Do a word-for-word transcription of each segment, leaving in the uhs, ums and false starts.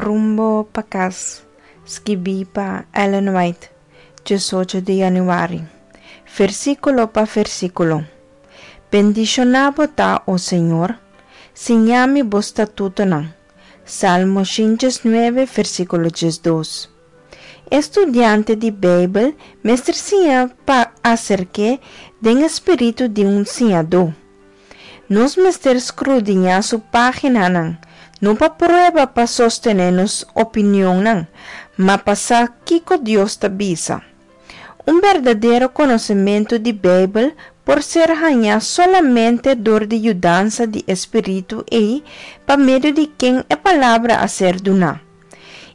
Rumbo pa Kas, skibí pa Ellen White, diesocho di yanüari. Versíkulo pa versíkulo. Bendishoná bo ta, o Señor, siña mi bo statutonan. Salmo shen diesnuebe, versíkulo diesdos. E studiante di Beibel mester siña pa aserk'é den e spiritu di un siñadó. Nos mester skrudiñá su páginanan, no pa prueba pa sostené nos opinionnan, ma pa sa kiko Dios ta bisa. Un berdadero konosementu di Beibel por ser hañá solamente dor di yudansa di e Spiritu ei pa medio di ken e Palabra a ser duná.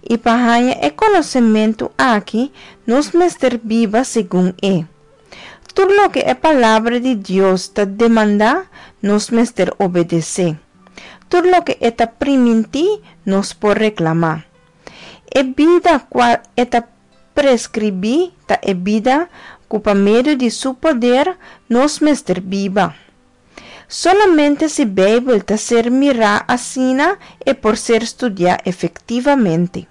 I pa haña e konosementu aki, nos mester biba segun e. Tur loke e Palabra di Dios ta demandá, nos mester obedesé. Tur loke e ta primintí, nos por reklamá. E bida kua e ta preskribí ta e bida ku pa medio di su poder nos mester biba. Solamente si Beibel ta ser mirá asina e por ser studiá efektivamente.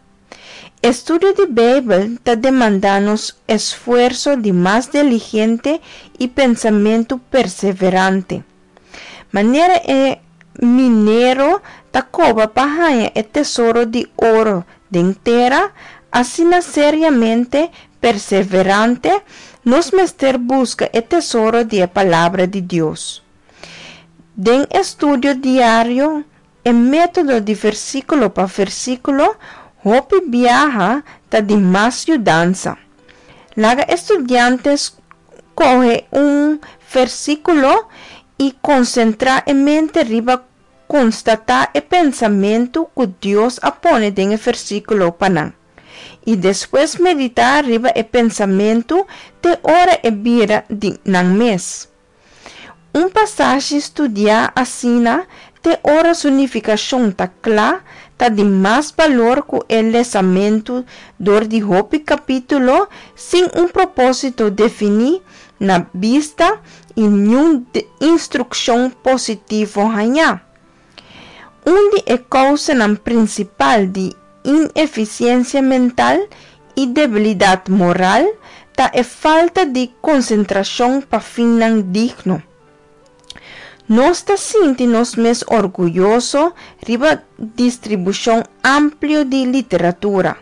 Estudio di Beibel ta demandá nos esfuerso di mas diligente i pensamentu perseverante. Manera e minero ta koba pa haña e tesoro di oro den tera, asina seriamente perseverante nos mester buska e tesoro di e Palabra di Dios. Den estudio diario, e método di versíkulo pa versíkulo hopi biaha ta di mas yudansa. Laga e studiante skohe un versíkulo i konsentrá e mente riba konstatá e pensamentu ku Dios a pone den e versíkulo pa nan. I despues meditá riba e pensamentu te ora e bira di nan mes. Un pasashi studiá asina te ora su nifikashon ta kla ta di mas balor ku e lesamentu dor di hopi kapítulo sin un propósito definí na bista i niun instrukshon positivo hañá. Un di e kousanan prinsipal di inefisiensia mental i debilidat moral ta e falta di konsentrashon pa finnan digno. Nos ta sinti nos mes orguyoso riba distribushon amplio di literatura,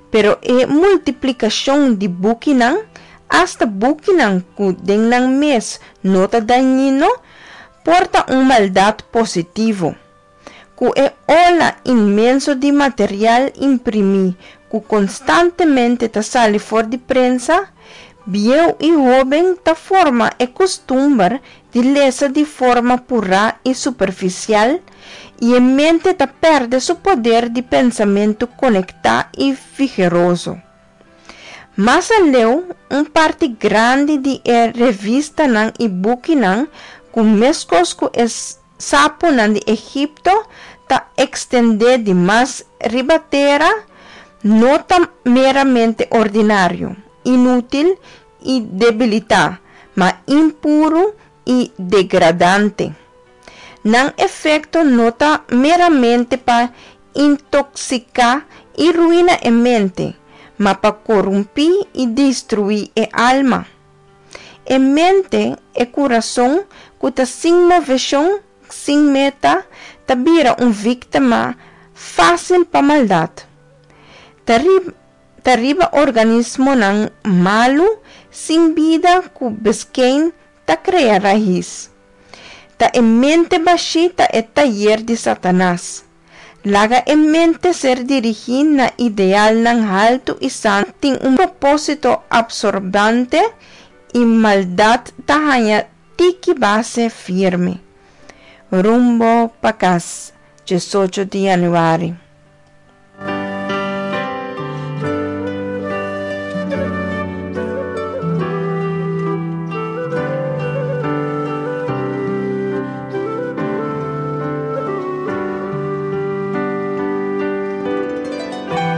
pero e multiplikashon di bukinan, asta bukinan ku den nan mes no ta dañino, por ta un maldat positivo. Ku e ola inmenso di material imprimí ku konstantemente ta sali for di prensa, bieu i hóben ta forma e kustumber di lesa di forma purá i superfisial i e mente ta pèrdè su poder di pensamentu konektá i vigoroso. Mas aleu, un parti grandi di e revistanan i bukinan ku meskos ku e sapunan di Egipto ta ekstendé di mas riba tera, no ta meramente ordinario, inútil i debilitá, ma impuru i degradante. Nan efekto no ta meramente pa intoksiká i ruina e mente, ma pa korumpí i destruí e alma. E mente, e kurason, ku ta sin moveshon, sin meta, ta bira un víktima fásil pa maldat. Ta riba, ta riba organismonan malu, sin bida ku beskein ta krea rais. Ta e mente bashí ta e tayer di Satanas. Laga e mente ser dirigí na idealnan haltu i santu tin un propósito apsorbante i maldat ta haña tiki base firme. Rumbo pa Kas, diesocho di yanüari.